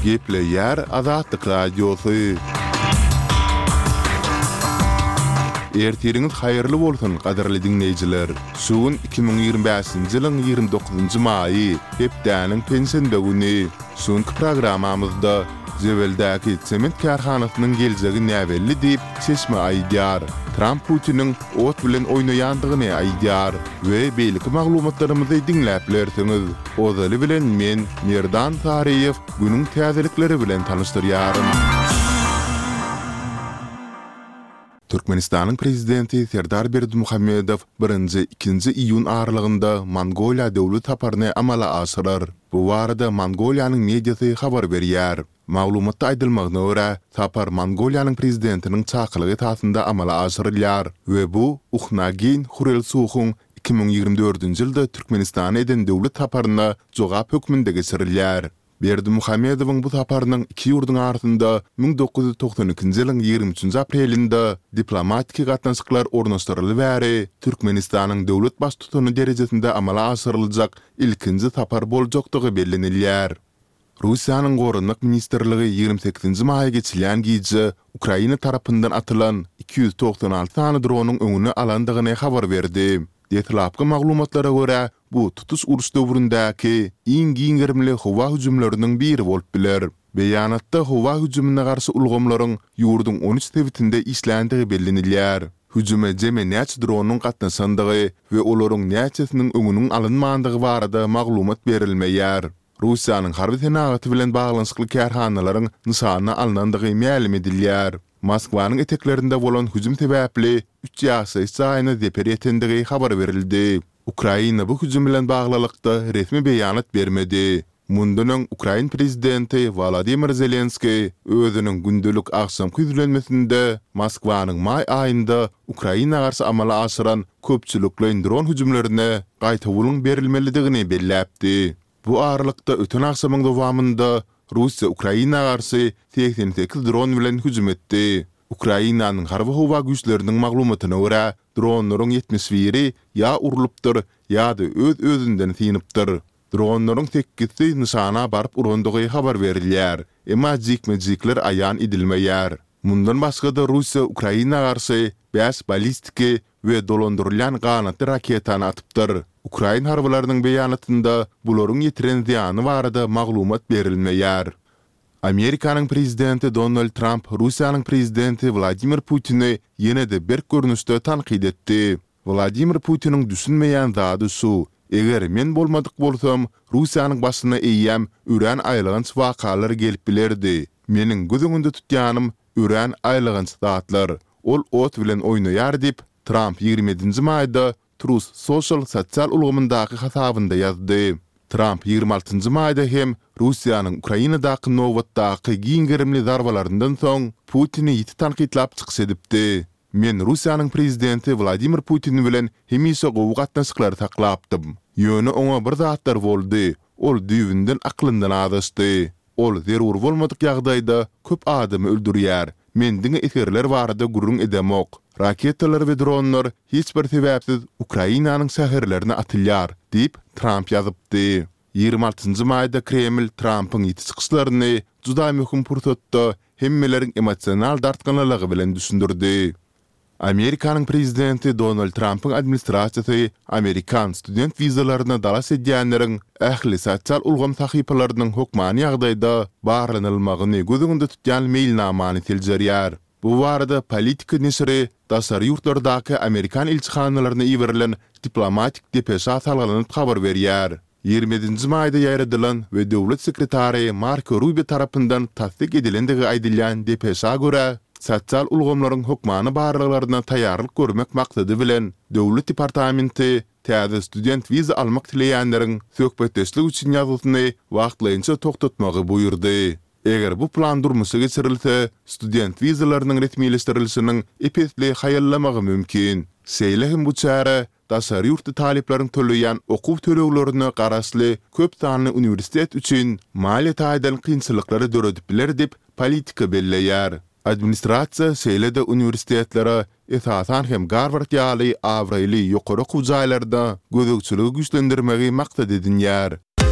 Gepleýär Azatlyk Radiosy. Ertiriňiz haýyrly bolsun, gadyrly diňleýjiler! Şu gün 2025-nji ýylyň 29-njy maýy, hepdäniň penşenbe güni. Şu günki programmamyzda Jebeldäki sement kärhanasynyň geljegi näbelli diýip, çeşme aýdýar. Tramp Putiniň ot bilen oýnaýandygyny aýdýar we beýleki maglumatlarymyzy diňläp bilersiňiz. Ozaly bilen men, Merdan Saryýew, günüň täzelikleri bilen tanyşdyrýaryn. Türkmenistanyň Prezidenti Serdar Berdimuhamedow birinji, ikinji iýun aralygynda Mongoliýa döwlet saparyny amala aşyrar. Bu barada Mongoliýanyň mediasy habar berýär. Maglumatda aýdylmagyna görä, sapar Mongoliýanyň Prezidentiniň çakylygy esasynda amala aşyrylýar we bu Uhnaagiýn Hurelsuhuň 2024-nji ýylda Türkmenistana eden döwlet saparyna jogap hökmünde geçirilýär. Berdimuhamedowyň bu saparynyň iki ýurduň arasynda 1992-nji ýylyň 23-nji aprelinde diplomatiki gatnaşyklar ornaşdyryly bäri Türkmenistanyň döwlet Baştutany derejesinde amala aşyryljak ilkinji sapar boljakdygy bellenilýär. Russiýanyň Goranmak ministrligi 28-nji maýa geçilýän gije Ukraina tarapyndan atylan 296 sany dronyň öňüni alandygyny habar berdi. Deslapky maglumatlara görä, bu tutuş uruş döwründäki iň giň gerimli howa hüjümleriniň biri bolup biler. Beýanatda howa hüjümine garşy ulgamlaryň ýurduň 13 sebitinde işländigi bellenilýär. Hüjüme jemi näçe dronyň gatnaşandygy we olaryň näçesiniň öňüniň alynmandygy barada maglumat berilmeýär. Russiýanyň harby senagaty bilen baglanyşykly kärhanalaryň nyşana alnandygy mälim edilýär. Moskwanyň eteklerinde bolan hüjüm sebäpli üç ýaşaýyş jaýyna zeper ýetendigi habar berildi. Ukraina bu hüjüm bilen baglylykda resmi beýanat bermedi. Mundan öň ukrain prezidenti Wolodymyr Zelenskiý özüniň gündelik agşamky ýüzlenmesinde Moskwanyň maý aýynda Ukraina garşy amala aşyran köpçülikleýin dron hüjümlerine gaýtawulyň berilmelidigini belläpdi. Bu aralykda öten agşamyň dowamynda Russiýa Ukraina garşy 88 dron bilen hüjüm etdi. Ukrainanyň harby-howa güýçleriniň maglumatyna görä, dronlaryň 71-i ýa urlupdyr, ýa-da öz-özünden synypdyr. Dronlaryň sekizisi nyşana baryp urandygy habar berilýär, emma jikme-jikler aýan edilmeýär. Mundan başga-da Russiýa Ukraina garşy bäş balistiki we dolandyrylýan ganatly raketany atypdyr. Ukrain harbylarynyň beýanatynda bularyň ýetiren zyýany barada maglumat berilmeýär. Amerikanyň prezidenti Donald Tramp Russiýanyň prezidenti Wladimir Putini ýene-de berk görnüşde tankyt etdi. Wladimir Putiniň düşünmeýän zady şu, eger men bolmadyk bolsam, Russiýanyň başyna eýýäm örän aýylganç wakalar gelip bilerdi. Meniň göz öňünde tutýanym, örän aýylganç zatlar. Ol ot bilen oýnaýar diýip, Tramp 27-nji maýda Truth Social sosial ulgamyndaky hasabynda ýazdy. Tramp 26-njy maýda hem Russiýanyň Ukrainadaky nobatdaky giň gerimli zarbalaryndan soň Putini ýiti tankytlap çykyş edipdi. Men Russiýanyň prezidenti Wladimir Putin bilen hemişe gowy gatnaşyklary saklapdym. Ýöne oňa bir zatlar boldy, ol düýbünden aklyndan azaşdy. Ol zerur bolmadyk ýagdaýda köp adamy öldürýär. Men diňe esgerler barada gürrüň edemok. Raketalar we dronlar hiç bir sebäpsiz Ukrainanyň şäherlerine atylýar, diýip, Tramp ýazypdy. 26-njy maýda Kreml Trampyň ýiti çykyşlaryny juda möhüm pursatda hemmeleriň emosional dartgynlylygy bilen düşündirdi. Amerikanyň prezidenti Donald Trampyň administrasiýasy amerikan student wizalaryna dalaş edýänleriň ähli sosial ulgam sahypalarynyň hökmany ýagdaýda barlanylmagyny göz öňünde tutýan meýilnamany seljerýär. Bu barada Politico neşiri daşary ýurtlardaky amerikan ilçihanalaryna iberilen diplomatik depeşa salgylanyp habar berýär. 27-nji maýda ýaýradylan we döwlet sekretary Marko Rubio tarapyndan tassyk edilendigi aýdylýan depeşa görä, sosial ulgamlaryň hökmany barlaglaryna taýýarlyk görmek maksady bilen, Döwlet departamenti täze student wiza almak isleýänleriň söhbetdeşlik üçin ýazgysyny wagtlaýynça togtatmagy buýurdy. Eger bu plan durmuşa geçirilse, student wizalarynyň resmileşdirilişiniň ep-esli haýallamagy mümkin. Şeýle hem bu çäre daşary ýurtly talyplaryň töleýän okuw töleglerine garaşly köp sanly uniwersitet üçin maliýe taýdan kynçylyklary döredip biler diýip, Politico belleýär. Administrasiýa şeýle-de uniwersitetlere, esasan hem Garward ýaly abraýly ýokary okuw jaýlaryna gözegçiligi güýçlendirmegi maksat edinýär.